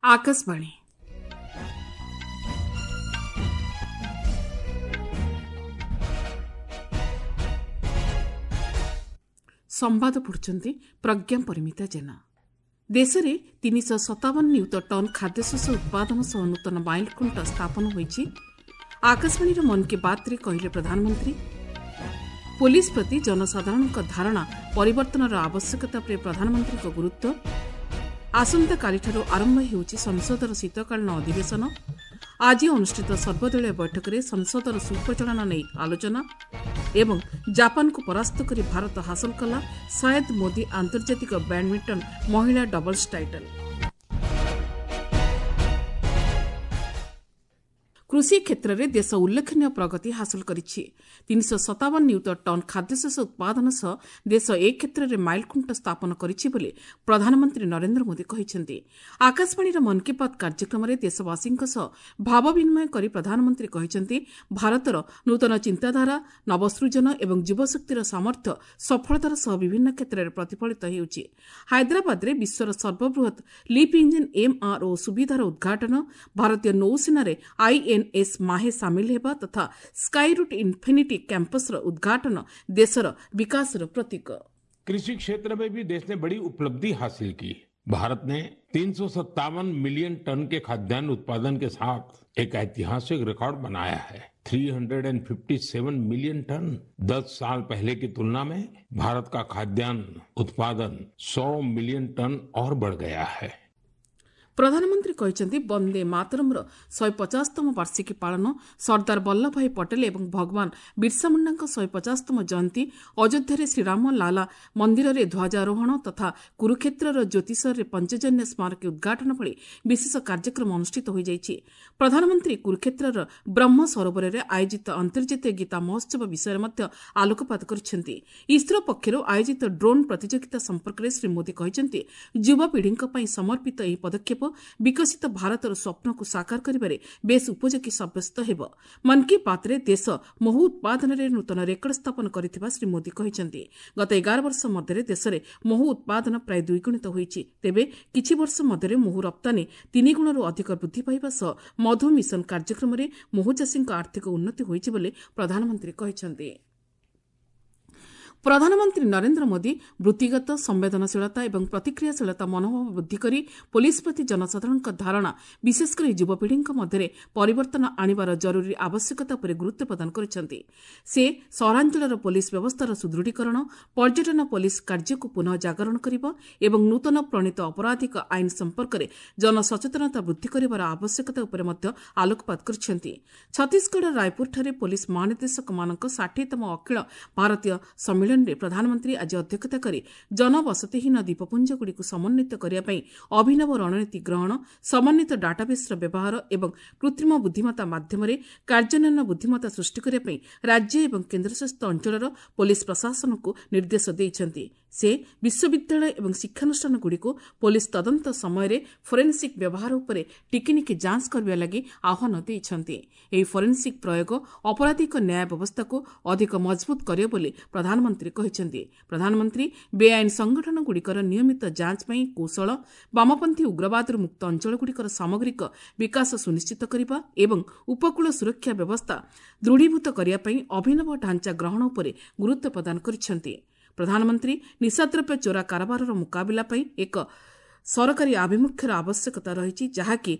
ଆକାଶବାଣୀ। ସମ୍ବାଦ ପଢୁଛନ୍ତି ପ୍ରଜ୍ଞା ପରିମିତା ଜେନା। ଦେଶରେ 357 ନିୟୁତ ଟନ୍ ଖାଦ୍ୟଶସ୍ୟ ଉତ୍ପାଦନ ସହ ନୂତନ ମାଇଲଖୁଣ୍ଟ ସ୍ଥାପନ ହୋଇଛି, ଆକାଶବାଣୀର ମନ୍ କି ବାତ୍ରେ କହିଲେ ପ୍ରଧାନମନ୍ତ୍ରୀ। ପୋଲିସ ପ୍ରତି ଜନସାଧାରଣଙ୍କ ଧାରଣା ପରିବର୍ତ୍ତନର ଆବଶ୍ୟକତା ଉପରେ ପ୍ରଧାନମନ୍ତ୍ରୀଙ୍କ ଗୁରୁତ୍ୱ। ଆସନ୍ତାକାଲିଠାରୁ ଆରମ୍ଭ ହେଉଛି ସଂସଦର ଶୀତକାଳୀନ ଅଧିବେଶନ। ଆଜି ଅନୁଷ୍ଠିତ ସର୍ବଦଳୀୟ ବୈଠକରେ ସଂସଦର ସୁପରିଚାଳନା ନେଇ ଆଲୋଚନା। ଏବଂ ଜାପାନକୁ ପରାସ୍ତ କରି ଭାରତ ହାସଲ କଲା ସାୟଦ ମୋଦି ଆନ୍ତର୍ଜାତିକ ବ୍ୟାଡ୍ମିଣ୍ଟନ ମହିଳା ଡବଲ୍ସ ଟାଇଟଲ୍। କୃଷି କ୍ଷେତ୍ରରେ ଦେଶ ଉଲ୍ଲେଖନୀୟ ପ୍ରଗତି ହାସଲ କରିଛି। 357 ନିୟୁତ ଟନ୍ ଖାଦ୍ୟଶସ୍ୟ ଉତ୍ପାଦନ ସହ ଦେଶ ଏ କ୍ଷେତ୍ରରେ ମାଇଲଖୁଣ୍ଟ ସ୍ଥାପନ କରିଛି ବୋଲି ପ୍ରଧାନମନ୍ତ୍ରୀ ନରେନ୍ଦ୍ର ମୋଦି କହିଛନ୍ତି। ଆକାଶବାଣୀର ମନ୍ କି ବାତ୍ କାର୍ଯ୍ୟକ୍ରମରେ ଦେଶବାସୀଙ୍କ ସହ ଭାବ ବିନିମୟ କରି ପ୍ରଧାନମନ୍ତ୍ରୀ କହିଛନ୍ତି, ଭାରତର ନୂତନ ଚିନ୍ତାଧାରା, ନବସୃଜନ ଏବଂ ଯୁବଶକ୍ତିର ସାମର୍ଥ୍ୟ ସଫଳତାର ସହ ବିଭିନ୍ନ କ୍ଷେତ୍ରରେ ପ୍ରତିଫଳିତ ହେଉଛି। ହାଇଦ୍ରାବାଦରେ ବିଶ୍ୱର ସର୍ବବୃହତ୍ ଲିଫ୍ ଇଞ୍ଜିନ୍ ଏମ୍ଆର୍ଓ ସୁବିଧାର ଉଦ୍ଘାଟନ, ଭାରତୀୟ ନୌସେନାରେ ଆଇଏନ୍ଏସ୍ ମାହେ ସାମିଲ ହେବା ତଥା ସ୍କାଇରୁଟ୍ ଇନ୍ଫିନିଟି କ୍ୟାମ୍ପସର ଉଦ୍ଘାଟନ ଦେଶର ବିକାଶର ପ୍ରତୀକ। कृषि क्षेत्र में भी देश ने बड़ी उपलब्धि हासिल की। भारत ने 357 मिलियन टन के खाद्यान्न उत्पादन के साथ एक ऐतिहासिक रिकॉर्ड बनाया है। 357 मिलियन टन। 10 साल पहले की तुलना में भारत का खाद्यान्न उत्पादन 100 मिलियन टन और बढ़ गया है। ପ୍ରଧାନମନ୍ତ୍ରୀ କହିଛନ୍ତି, ବନ୍ଦେ ମାତରମ୍ର 150ତମ ବାର୍ଷିକୀ ପାଳନ, ସର୍ଦ୍ଦାର ବଲ୍ଲଭ ଭାଇ ପଟେଲ ଏବଂ ଭଗବାନ ବିର୍ସା ମୁଣ୍ଡାଙ୍କ 150ତମ ଜୟନ୍ତୀ, ଅଯୋଧ୍ୟାରେ ଶ୍ରୀରାମ ଲାଲା ମନ୍ଦିରରେ ଧ୍ୱଜାରୋହଣ ତଥା କୁରୁକ୍ଷେତ୍ରର ଜ୍ୟୋତିଷରରେ ପଞ୍ଚଜନ୍ୟ ସ୍ମାରକୀ ଉଦ୍ଘାଟନ ଭଳି ବିଶେଷ କାର୍ଯ୍ୟକ୍ରମ ଅନୁଷ୍ଠିତ ହୋଇଯାଇଛି। ପ୍ରଧାନମନ୍ତ୍ରୀ କୁରୁକ୍ଷେତ୍ରର ବ୍ରହ୍ମ ସରୋବରରେ ଆୟୋଜିତ ଆନ୍ତର୍ଜାତୀୟ ଗୀତା ମହୋତ୍ସବ ବିଷୟରେ ମଧ୍ୟ ଆଲୋକପାତ କରିଛନ୍ତି। ଇସ୍ରୋ ପକ୍ଷରୁ ଆୟୋଜିତ ଡ୍ରୋନ୍ ପ୍ରତିଯୋଗିତା ସମ୍ପର୍କରେ ଶ୍ରୀ ମୋଦି କହିଛନ୍ତି, ଯୁବପିଢ଼ିଙ୍କ ପାଇଁ ସମର୍ପିତ ଏହି ପଦକ୍ଷେପ ବିକଶିତ ଭାରତର ସ୍ୱପ୍ନକୁ ସାକାର କରିବାରେ ବେଶ୍ ଉପଯୋଗୀ ସାବ୍ୟସ୍ତ ହେବ। ମନ୍ କି ବାତ୍ରେ ଦେଶ ମହୁ ଉତ୍ପାଦନରେ ନୂତନ ରେକର୍ଡ ସ୍ଥାପନ କରିଥିବା ଶ୍ରୀ ମୋଦି କହିଛନ୍ତି। ଗତ 11 ବର୍ଷ ମଧ୍ୟରେ ଦେଶରେ ମହୁ ଉତ୍ପାଦନ ପ୍ରାୟ ଦ୍ୱିଗୁଣିତ ହୋଇଛି। ତେବେ କିଛି ବର୍ଷ ମଧ୍ୟରେ ମହୁ ରପ୍ତାନୀ ତିନିଗୁଣରୁ ଅଧିକ ବୃଦ୍ଧି ପାଇବା ସହ ମଧୁ ମିଶନ କାର୍ଯ୍ୟକ୍ରମରେ ମହୁଚାଷୀଙ୍କ ଆର୍ଥିକ ଉନ୍ନତି ହୋଇଛି ବୋଲି ପ୍ରଧାନମନ୍ତ୍ରୀ କହିଛନ୍ତି। ପ୍ରଧାନମନ୍ତ୍ରୀ ନରେନ୍ଦ୍ର ମୋଦି ବୃତ୍ତିଗତ ସମ୍ବେଦନଶୀଳତା ଏବଂ ପ୍ରତିକ୍ରିୟାଶୀଳତା ମନୋଭାବ ବୃଦ୍ଧି କରି ପୋଲିସ ପ୍ରତି ଜନସାଧାରଣଙ୍କ ଧାରଣା, ବିଶେଷକରି ଯୁବପିଢ଼ିଙ୍କ ମଧ୍ୟରେ ପରିବର୍ତ୍ତନ ଆଣିବାର ଜରୁରୀ ଆବଶ୍ୟକତା ଉପରେ ଗୁରୁତ୍ୱ ପ୍ରଦାନ କରିଛନ୍ତି। ସେ ସହରାଞ୍ଚଳର ପୋଲିସ ବ୍ୟବସ୍ଥାର ସୁଦୃଢ଼ୀକରଣ, ପର୍ଯ୍ୟଟନ ପୋଲିସ କାର୍ଯ୍ୟକୁ ପୁନଃ ଜାଗରଣ କରିବା ଏବଂ ନୂତନ ପ୍ରଣୀତ ଅପରାଧିକ ଆଇନ ସମ୍ପର୍କରେ ଜନସଚେତନତା ବୃଦ୍ଧି କରିବାର ଆବଶ୍ୟକତା ଉପରେ ମଧ୍ୟ ଆଲୋକପାତ କରିଛନ୍ତି। ଛତିଶଗଡ଼ର ରାୟପୁରଠାରେ ପୋଲିସ ମହାନିର୍ଦ୍ଦେଶକମାନଙ୍କ 60ତମ ଅଖିଳ ଭାରତୀୟ ସମ୍ମିଳନୀରେ ପ୍ରଧାନମନ୍ତ୍ରୀ ଆଜି ଅଧ୍ୟକ୍ଷତା କରି ଜନବସତିହୀନ ଦ୍ୱୀପପୁଞ୍ଜଗୁଡ଼ିକୁ ସମନ୍ୱିତ କରିବା ପାଇଁ ଅଭିନବ ରଣନୀତି ଗ୍ରହଣ, ସମନ୍ୱିତ ଡାଟାବେସ୍ର ବ୍ୟବହାର ଏବଂ କୃତ୍ରିମ ବୁଦ୍ଧିମତ୍ତା ମାଧ୍ୟମରେ କାର୍ଯ୍ୟାନ୍ୱୟନ ବୁଦ୍ଧିମତ୍ତା ସୃଷ୍ଟି କରିବା ପାଇଁ ରାଜ୍ୟ ଏବଂ କେନ୍ଦ୍ରଶାସିତ ଅଞ୍ଚଳର ପୋଲିସ ପ୍ରଶାସନକୁ ନିର୍ଦ୍ଦେଶ ଦେଇଛନ୍ତି। ସେ ବିଶ୍ୱବିଦ୍ୟାଳୟ ଏବଂ ଶିକ୍ଷାନୁଷ୍ଠାନଗୁଡ଼ିକୁ ପୋଲିସ ତଦନ୍ତ ସମୟରେ ଫୋରେନ୍ସିକ୍ ବ୍ୟବହାର ଉପରେ ଟିକିନିଖି ଯାଞ୍ଚ କରିବା ଲାଗି ଆହ୍ୱାନ ଦେଇଛନ୍ତି। ଏହି ଫୋରେନ୍ସିକ୍ ପ୍ରୟୋଗ ଅପରାଧିକ ନ୍ୟାୟ ବ୍ୟବସ୍ଥାକୁ ଅଧିକ ମଜବୁତ କରିବ ବୋଲି ପ୍ରଧାନମନ୍ତ୍ରୀ କହିଛନ୍ତି। ପ୍ରଧାନମନ୍ତ୍ରୀ ବେଆଇନ ସଂଗଠନଗୁଡ଼ିକର ନିୟମିତ ଯାଞ୍ଚ ପାଇଁ କୌଶଳ, ବାମପନ୍ଥୀ ଉଗ୍ରବାଦରୁ ମୁକ୍ତ ଅଞ୍ଚଳଗୁଡ଼ିକର ସାମଗ୍ରିକ ବିକାଶ ସୁନିଶ୍ଚିତ କରିବା ଏବଂ ଉପକୂଳ ସୁରକ୍ଷା ବ୍ୟବସ୍ଥା ଦୃଢ଼ୀଭୂତ କରିବା ପାଇଁ ଅଭିନବ ଢାଞ୍ଚା ଗ୍ରହଣ ଉପରେ ଗୁରୁତ୍ୱ ପ୍ରଦାନ କରିଛନ୍ତି। ପ୍ରଧାନମନ୍ତ୍ରୀ ନିଶାଦ୍ରବ୍ୟ ଚୋରା କାରବାରର ମୁକାବିଲା ପାଇଁ ଏକ ସରକାରୀ ଆଭିମୁଖ୍ୟର ଆବଶ୍ୟକତା ରହିଛି, ଯାହାକି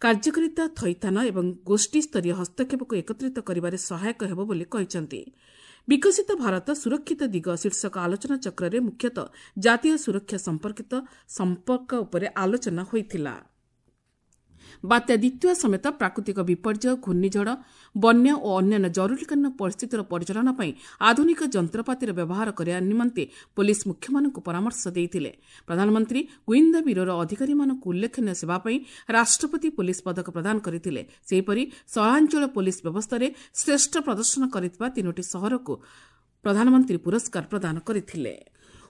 କାର୍ଯ୍ୟକାରିତା, ଥଇଥାନ ଏବଂ ଗୋଷ୍ଠୀସ୍ତରୀୟ ହସ୍ତକ୍ଷେପକୁ ଏକତ୍ରିତ କରିବାରେ ସହାୟକ ହେବ ବୋଲି କହିଛନ୍ତି। ବିକଶିତ ଭାରତ ସୁରକ୍ଷିତ ଦିଗ ଶୀର୍ଷକ ଆଲୋଚନାଚକ୍ରରେ ମୁଖ୍ୟତଃ ଜାତୀୟ ସୁରକ୍ଷା ସମ୍ପର୍କିତ ସମ୍ପର୍କ ଉପରେ ଆଲୋଚନା ହୋଇଥିଲା। ବାତ୍ୟା ଦ୍ୱିତୀୟ ସମେତ ପ୍ରାକୃତିକ ବିପର୍ଯ୍ୟୟ, ଘୂର୍ଣ୍ଣିଝଡ଼, ବନ୍ୟା ଓ ଅନ୍ୟାନ୍ୟ ଜରୁରୀକାଳୀନ ପରିସ୍ଥିତିର ପରିଚାଳନା ପାଇଁ ଆଧୁନିକ ଯନ୍ତ୍ରପାତିର ବ୍ୟବହାର କରିବା ନିମନ୍ତେ ପୋଲିସ ମୁଖ୍ୟମାନଙ୍କୁ ପରାମର୍ଶ ଦେଇଥିଲେ। ପ୍ରଧାନମନ୍ତ୍ରୀ ଗୁଇନ୍ଦା ବ୍ୟୁରୋର ଅଧିକାରୀମାନଙ୍କୁ ଉଲ୍ଲେଖନୀୟ ସେବା ପାଇଁ ରାଷ୍ଟ୍ରପତି ପୋଲିସ ପଦକ ପ୍ରଦାନ କରିଥିଲେ। ସେହିପରି ସହରାଞ୍ଚଳ ପୋଲିସ ବ୍ୟବସ୍ଥାରେ ଶ୍ରେଷ୍ଠ ପ୍ରଦର୍ଶନ କରିଥିବା 3ଟି ସହରକୁ ପ୍ରଧାନମନ୍ତ୍ରୀ ପୁରସ୍କାର ପ୍ରଦାନ କରିଥିଲେ।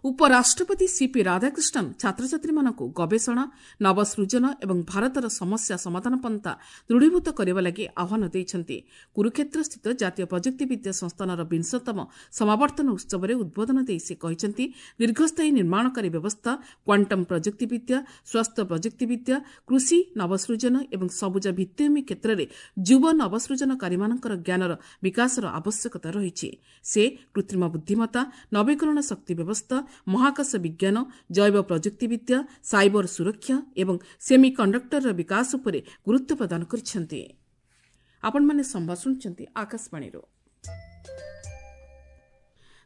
ଉପରାଷ୍ଟ୍ରପତି ସିପି ରାଧାକ୍ରିଷ୍ଣନ୍ ଛାତ୍ରଛାତ୍ରୀମାନଙ୍କୁ ଗବେଷଣା, ନବସୃଜନ ଏବଂ ଭାରତର ସମସ୍ୟା ସମାଧାନ ପନ୍ଥା ଦୃଢ଼ୀଭୂତ କରିବା ଲାଗି ଆହ୍ୱାନ ଦେଇଛନ୍ତି। କୁରୁକ୍ଷେତ୍ରସ୍ଥିତ ଜାତୀୟ ପ୍ରଯୁକ୍ତିବିଦ୍ୟା ସଂସ୍ଥାନର ବିଂଶତମ ସମାବର୍ତ୍ତନ ଉତ୍ସବରେ ଉଦ୍ବୋଧନ ଦେଇ ସେ କହିଛନ୍ତି, ଦୀର୍ଘସ୍ଥାୟୀ ନିର୍ମାଣକାରୀ ବ୍ୟବସ୍ଥା, କ୍ୱାଣ୍ଟମ୍ ପ୍ରଯୁକ୍ତିବିଦ୍ୟା, ସ୍ୱାସ୍ଥ୍ୟ ପ୍ରଯୁକ୍ତିବିଦ୍ୟା, କୃଷି ନବସୃଜନ ଏବଂ ସବୁଜ ଭିତ୍ତିଭୂମି କ୍ଷେତ୍ରରେ ଯୁବ ନବସୃଜନକାରୀମାନଙ୍କର ଜ୍ଞାନର ବିକାଶର ଆବଶ୍ୟକତା ରହିଛି। ସେ କୃତ୍ରିମ ବୁଦ୍ଧିମତ୍ତା, ନବୀକରଣ ଶକ୍ତି ବ୍ୟବସ୍ଥା, ମହାକାଶ ବିଜ୍ଞାନ, ଜୈବ ପ୍ରଯୁକ୍ତିବିଦ୍ୟା, ସାଇବର ସୁରକ୍ଷା ଏବଂ ସେମି କଣ୍ଡକ୍ଟରର ବିକାଶ ଉପରେ ଗୁରୁତ୍ୱ ପ୍ରଦାନ କରିଛନ୍ତି। ଆପଣମାନେ ସମ୍ବାଦ ଶୁଣୁଛନ୍ତି ଆକାଶବାଣୀରୁ।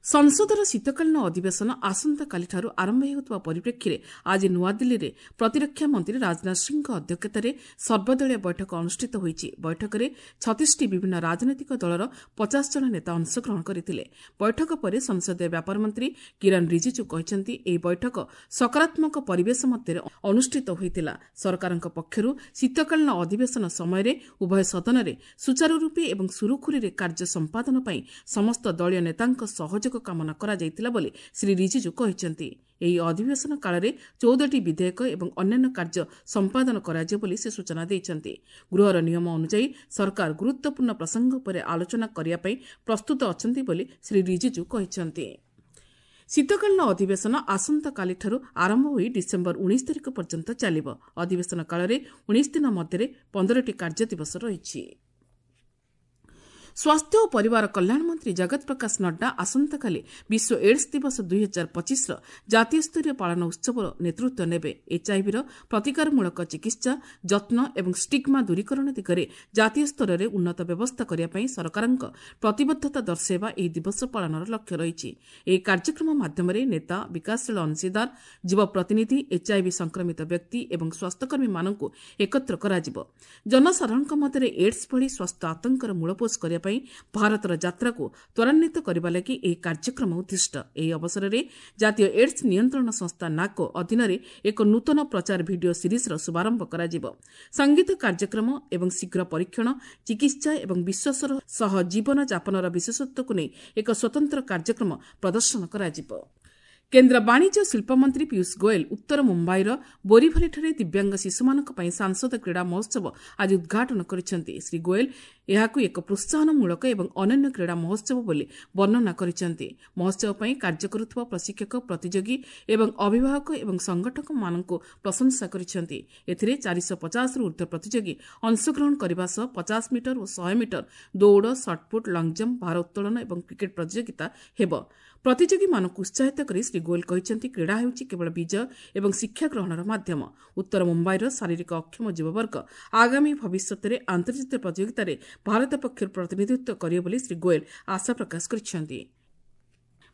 ସଂସଦର ଶୀତକାଳୀନ ଅଧିବେଶନ ଆସନ୍ତାକାଲିଠାରୁ ଆରମ୍ଭ ହେଉଥିବା ପରିପ୍ରେକ୍ଷୀରେ ଆଜି ନୂଆଦିଲ୍ଲୀରେ ପ୍ରତିରକ୍ଷା ମନ୍ତ୍ରୀ ରାଜନାଥ ସିଂହଙ୍କ ଅଧ୍ୟକ୍ଷତାରେ ସର୍ବଦଳୀୟ ବୈଠକ ଅନୁଷ୍ଠିତ ହୋଇଛି। ବୈଠକରେ 36ଟି ବିଭିନ୍ନ ରାଜନୈତିକ ଦଳର 50 ଜଣ ନେତା ଅଂଶଗ୍ରହଣ କରିଥିଲେ। ବୈଠକ ପରେ ସଂସଦୀୟ ବ୍ୟାପାର ମନ୍ତ୍ରୀ କିରଣ ରିଜିଜୁ କହିଛନ୍ତି, ଏହି ବୈଠକ ସକାରାତ୍ମକ ପରିବେଶ ମଧ୍ୟରେ ଅନୁଷ୍ଠିତ ହୋଇଥିଲା। ସରକାରଙ୍କ ପକ୍ଷରୁ ଶୀତକାଳୀନ ଅଧିବେଶନ ସମୟରେ ଉଭୟ ସଦନରେ ସୁଚାରୁରୂପେ ଏବଂ ସୁରୁଖୁରୁରେ କାର୍ଯ୍ୟ ସମ୍ପାଦନ ପାଇଁ ସମସ୍ତ ଦଳୀୟ ନେତାଙ୍କ ସହଯୋଗ କାମନା କରାଯାଇଥିଲା ବୋଲି ଶ୍ରୀ ରିଜିଜୁ କହିଛନ୍ତି। ଏହି ଅଧିବେଶନ କାଳରେ 14ଟି ବିଧେୟକ ଏବଂ ଅନ୍ୟାନ୍ୟ କାର୍ଯ୍ୟ ସମ୍ପାଦନ କରାଯିବ ବୋଲି ସେ ସୂଚନା ଦେଇଛନ୍ତି। ଗୃହର ନିୟମ ଅନୁଯାୟୀ ସରକାର ଗୁରୁତ୍ୱପୂର୍ଣ୍ଣ ପ୍ରସଙ୍ଗ ଉପରେ ଆଲୋଚନା କରିବା ପାଇଁ ପ୍ରସ୍ତୁତ ଅଛନ୍ତି ବୋଲି ଶ୍ରୀ ରିଜିଜୁ କହିଛନ୍ତି। ଶୀତକାଳୀନ ଅଧିବେଶନ ଆସନ୍ତାକାଲିଠାରୁ ଆରମ୍ଭ ହୋଇ ଡିସେମ୍ବର 19 ତାରିଖ ପର୍ଯ୍ୟନ୍ତ ଚାଲିବ। ଅଧିବେଶନ କାଳରେ 19 ଦିନ ମଧ୍ୟରେ 15ଟି କାର୍ଯ୍ୟ ଦିବସ ରହିଛି। ସ୍ୱାସ୍ଥ୍ୟ ଓ ପରିବାର କଲ୍ୟାଣ ମନ୍ତ୍ରୀ ଜଗତ ପ୍ରକାଶ ନଡ୍ଡା ଆସନ୍ତାକାଲି ବିଶ୍ୱ ଏଡ୍ସ ଦିବସ 2025ର ଜାତୀୟ ସ୍ତରୀୟ ପାଳନ ଉତ୍ସବର ନେତୃତ୍ୱ ନେବେ। ଏଚ୍ଆଇଭିର ପ୍ରତିକାରମୂଳକ ଚିକିତ୍ସା, ଯତ୍ନ ଏବଂ ଷ୍ଟିଗ୍ମା ଦୂରୀକରଣ ଦିଗରେ ଜାତୀୟ ସ୍ତରରେ ଉନ୍ନତ ବ୍ୟବସ୍ଥା କରିବା ପାଇଁ ସରକାରଙ୍କ ପ୍ରତିବଦ୍ଧତା ଦର୍ଶାଇବା ଏହି ଦିବସ ପାଳନର ଲକ୍ଷ୍ୟ ରହିଛି। ଏହି କାର୍ଯ୍ୟକ୍ରମ ମାଧ୍ୟମରେ ନେତା, ବିକାଶଶୀଳ ଅଂଶୀଦାର, ଯୁବ ପ୍ରତିନିଧି, ଏଚ୍ଆଇଭି ସଂକ୍ରମିତ ବ୍ୟକ୍ତି ଏବଂ ସ୍ୱାସ୍ଥ୍ୟକର୍ମୀମାନଙ୍କୁ ଏକତ୍ର କରାଯିବ। ଜନସାଧାରଣଙ୍କ ମଧ୍ୟରେ ଏଡ୍ସ ଭଳି ସ୍ୱାସ୍ଥ୍ୟ ଆତଙ୍କର ମୂଳପୋଷ କରିବା ପାଇଁ ଭାରତର ଯାତ୍ରାକୁ ତ୍ୱରାନ୍ୱିତ କରିବା ଲାଗି ଏହି କାର୍ଯ୍ୟକ୍ରମ ଉଦ୍ଦିଷ୍ଟ। ଏହି ଅବସରରେ ଜାତୀୟ ଏଡ୍ସ ନିୟନ୍ତ୍ରଣ ସଂସ୍ଥା ନାକୋ ଅଧୀନରେ ଏକ ନୂତନ ପ୍ରଚାର ଭିଡିଓ ସିରିଜ୍ର ଶୁଭାରମ୍ଭ କରାଯିବ। ସଙ୍ଗୀତ କାର୍ଯ୍ୟକ୍ରମ ଏବଂ ଶୀଘ୍ର ପରୀକ୍ଷଣ, ଚିକିତ୍ସା ଏବଂ ବିଶ୍ୱାସର ସହ ଜୀବନ ଯାପନର ବିଶେଷତ୍ୱକୁ ନେଇ ଏକ ସ୍ୱତନ୍ତ୍ର କାର୍ଯ୍ୟକ୍ରମ ପ୍ରଦର୍ଶନ କରାଯିବ। କେନ୍ଦ୍ର ବାଣିଜ୍ୟ ଶିଳ୍ପମନ୍ତ୍ରୀ ପୀୟୁଷ ଗୋଏଲ ଉତ୍ତର ମୁମ୍ବାଇର ବୋରିଭଲିଠାରେ ଦିବ୍ୟାଙ୍ଗ ଶିଶୁମାନଙ୍କ ପାଇଁ ସାଂସଦ କ୍ରୀଡ଼ା ମହୋତ୍ସବ ଆଜି ଉଦ୍ଘାଟନ କରିଛନ୍ତି। ଶ୍ରୀ ଗୋଏଲ ଏହାକୁ ଏକ ପ୍ରୋତ୍ସାହନମୂଳକ ଏବଂ ଅନନ୍ୟ କ୍ରୀଡ଼ା ମହୋତ୍ସବ ବୋଲି ବର୍ଣ୍ଣନା କରିଛନ୍ତି। ମହୋତ୍ସବ ପାଇଁ କାର୍ଯ୍ୟ କରୁଥିବା ପ୍ରଶିକ୍ଷକ, ପ୍ରତିଯୋଗୀ ଏବଂ ଅଭିଭାବକ ଏବଂ ସଂଗଠକମାନଙ୍କୁ ପ୍ରଶଂସା କରିଛନ୍ତି। ଏଥିରେ 450ରୁ ଉର୍ଦ୍ଧ୍ୱ ପ୍ରତିଯୋଗୀ ଅଂଶଗ୍ରହଣ କରିବା ସହ 50 ମିଟର ଓ 100 ମିଟର ଦୌଡ଼, ସଟ୍ପୁଟ୍, ଲଙ୍ଗଜମ୍ପ, ଭାରୋତ୍ତୋଳନ ଏବଂ କ୍ରିକେଟ୍ ପ୍ରତିଯୋଗିତା ହେବ। ପ୍ରତିଯୋଗୀମାନଙ୍କୁ ଉତ୍ସାହିତ କରି ଶ୍ରୀ ଗୋଏଲ କହିଛନ୍ତି, କ୍ରୀଡ଼ା ହେଉଛି କେବଳ ବିଜୟ ଏବଂ ଶିକ୍ଷା ଗ୍ରହଣର ମାଧ୍ୟମ। ଉତ୍ତର ମୁମ୍ବାଇର ଶାରୀରିକ ଅକ୍ଷମ ଯୁବବର୍ଗ ଆଗାମୀ ଭବିଷ୍ୟତରେ ଆନ୍ତର୍ଜାତୀୟ ପ୍ରତିଯୋଗିତାରେ ଭାରତ ପକ୍ଷରୁ ପ୍ରତିନିଧିତ୍ୱ କରିବେ ବୋଲି ଶ୍ରୀ ଗୋଏଲ ଆଶା ପ୍ରକାଶ କରିଛନ୍ତି।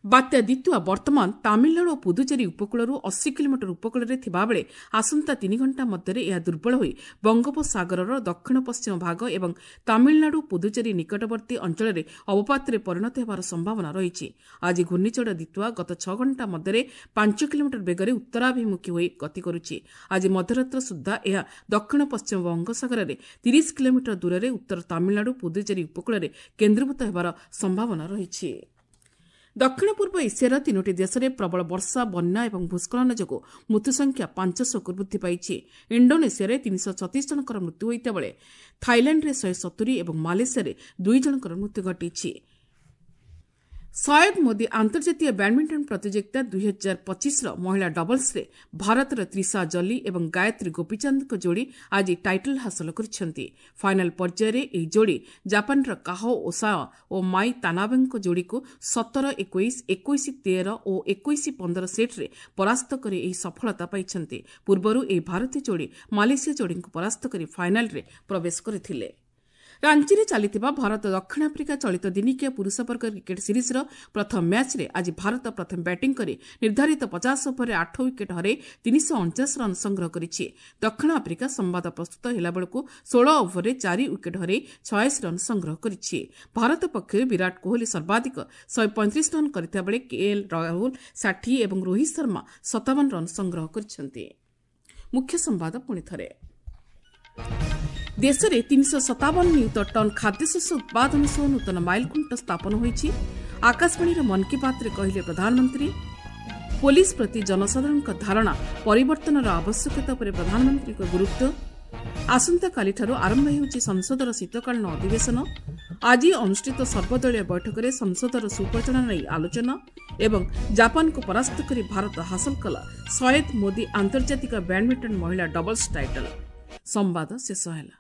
ବାତ୍ୟା ଦିତ୍ୱା ବର୍ତ୍ତମାନ ତାମିଲନାଡୁ ଓ ପୁଦୁଚେରୀ ଉପକୂଳରୁ 80 କିଲୋମିଟର ଉପକୂଳରେ ଥିବାବେଳେ ଆସନ୍ତା 3 ଘଣ୍ଟା ମଧ୍ୟରେ ଏହା ଦୁର୍ବଳ ହୋଇ ବଙ୍ଗୋପସାଗରର ଦକ୍ଷିଣ ପଶ୍ଚିମ ଭାଗ ଏବଂ ତାମିଲନାଡୁ ପୁଦୁଚେରୀ ନିକଟବର୍ତ୍ତୀ ଅଞ୍ଚଳରେ ଅବପାତରେ ପରିଣତ ହେବାର ସମ୍ଭାବନା ରହିଛି। ଆଜି ଘୂର୍ଣ୍ଣିଝଡ଼ ଦିତ୍ୱା ଗତ 6 ଘଣ୍ଟା ମଧ୍ୟରେ 5 କିଲୋମିଟର ବେଗରେ ଉତ୍ତରାଭିମୁଖୀ ହୋଇ ଗତି କରୁଛି। ଆଜି ମଧ୍ୟରାତ୍ର ସୁଦ୍ଧା ଏହା ଦକ୍ଷିଣ ପଶ୍ଚିମ ବଙ୍ଗୋପସାଗରରେ 30 କିଲୋମିଟର ଦୂରରେ ଉତ୍ତର ତାମିଲନାଡୁ ପୁଦୁଚେରୀ ଉପକୂଳରେ କେନ୍ଦ୍ରୀଭୂତ ହେବାର ସମ୍ଭାବନା ରହିଛି। ଦକ୍ଷିଣ ପୂର୍ବ ଏସିଆର 3ଟି ଦେଶରେ ପ୍ରବଳ ବର୍ଷା, ବନ୍ୟା ଏବଂ ଭୂସ୍ଖଳନ ଯୋଗୁଁ ମୃତ୍ୟୁସଂଖ୍ୟା 500କୁ ବୃଦ୍ଧି ପାଇଛି। ଇଣ୍ଡୋନେସିଆରେ 336 ଜଣଙ୍କର ମୃତ୍ୟୁ ହୋଇଥିବା ବେଳେ ଥାଇଲାଣ୍ଡରେ 170 ଏବଂ ମାଲେସିଆରେ 2 ଜଣଙ୍କର ମୃତ୍ୟୁ ଘଟିଛି। ସୟଦ ମୋଦି ଆନ୍ତର୍ଜାତୀୟ ବ୍ୟାଡମିଣ୍ଟନ ପ୍ରତିଯୋଗିତା 2025ର ମହିଳା ଡବଲ୍ସରେ ଭାରତର ତ୍ରିଶା ଜଲି ଏବଂ ଗାୟତ୍ରୀ ଗୋପୀଚାନ୍ଦଙ୍କ ଯୋଡ଼ି ଆଜି ଟାଇଟଲ୍ ହାସଲ କରିଛନ୍ତି। ଫାଇନାଲ୍ ପର୍ଯ୍ୟାୟରେ ଏହି ଯୋଡ଼ି ଜାପାନର କାହୋ ଓସାୱା ଓ ମାଇ ତାନାବେଙ୍କ ଯୋଡ଼ିକୁ 17-21, 21-13 ଓ 21-15 ସେଟ୍ରେ ପରାସ୍ତ କରି ଏହି ସଫଳତା ପାଇଛନ୍ତି। ପୂର୍ବରୁ ଏହି ଭାରତୀୟ ଯୋଡ଼ି ମାଲେସିଆ ଯୋଡ଼ିଙ୍କୁ ପରାସ୍ତ କରି ଫାଇନାଲ୍ରେ ପ୍ରବେଶ କରିଥିଲେ। ରାଞ୍ଚିରେ ଚାଲିଥିବା ଭାରତ ଦକ୍ଷିଣ ଆଫ୍ରିକା ଚଳିତ ଦିନିକିଆ ପୁରୁଷ ବର୍ଗ କ୍ରିକେଟ୍ ସିରିଜ୍ର ପ୍ରଥମ ମ୍ୟାଚ୍ରେ ଆଜି ଭାରତ ପ୍ରଥମେ ବ୍ୟାଟିଂ କରି ନିର୍ଦ୍ଧାରିତ 50 ଓଭରରେ 8 ୱିକେଟ୍ ହରାଇ 349 ରନ୍ ସଂଗ୍ରହ କରିଛି। ଦକ୍ଷିଣ ଆଫ୍ରିକା ସମ୍ବାଦ ପ୍ରସ୍ତୁତ ହେଲାବେଳକୁ 16 ଓଭରରେ 4 ୱିକେଟ୍ ହରାଇ 86 ରନ୍ ସଂଗ୍ରହ କରିଛି। ଭାରତ ପକ୍ଷରୁ ବିରାଟ କୋହଲି ସର୍ବାଧିକ 135 ରନ୍ କରିଥିବା ବେଳେ କେଏଲ୍ ରାହୁଲ 60 ଏବଂ ରୋହିତ ଶର୍ମା 57 ରନ୍ ସଂଗ୍ରହ କରିଛନ୍ତି। ମୁଖ୍ୟ ସମ୍ବାଦ ପୁଣି ଥରେ। ଦେଶରେ 357 ନିୟୁତ ଟନ୍ ଖାଦ୍ୟଶସ୍ୟ ଉତ୍ପାଦନ ସହ ନୂତନ ମାଇଲଖୁଣ୍ଟ ସ୍ଥାପନ ହୋଇଛି, ଆକାଶବାଣୀର ମନ୍ କି ବାତ୍ରେ କହିଲେ ପ୍ରଧାନମନ୍ତ୍ରୀ। ପୋଲିସ ପ୍ରତି ଜନସାଧାରଣଙ୍କ ଧାରଣା ପରିବର୍ତ୍ତନର ଆବଶ୍ୟକତା ଉପରେ ପ୍ରଧାନମନ୍ତ୍ରୀଙ୍କ ଗୁରୁତ୍ୱ। ଆସନ୍ତାକାଲିଠାରୁ ଆରମ୍ଭ ହେଉଛି ସଂସଦର ଶୀତକାଳୀନ ଅଧିବେଶନ। ଆଜି ଅନୁଷ୍ଠିତ ସର୍ବଦଳୀୟ ବୈଠକରେ ସଂସଦର ସୁପରିଚାଳନା ନେଇ ଆଲୋଚନା। ଏବଂ ଜାପାନକୁ ପରାସ୍ତ କରି ଭାରତ ହାସଲ କଲା ସୟେଦ ମୋଦି ଆନ୍ତର୍ଜାତିକ ବ୍ୟାଡମିଣ୍ଟନ ମହିଳା ଡବଲ୍ସ ଟାଇଟଲ୍। ସମ୍ବାଦ ଶେଷ ହେଲା।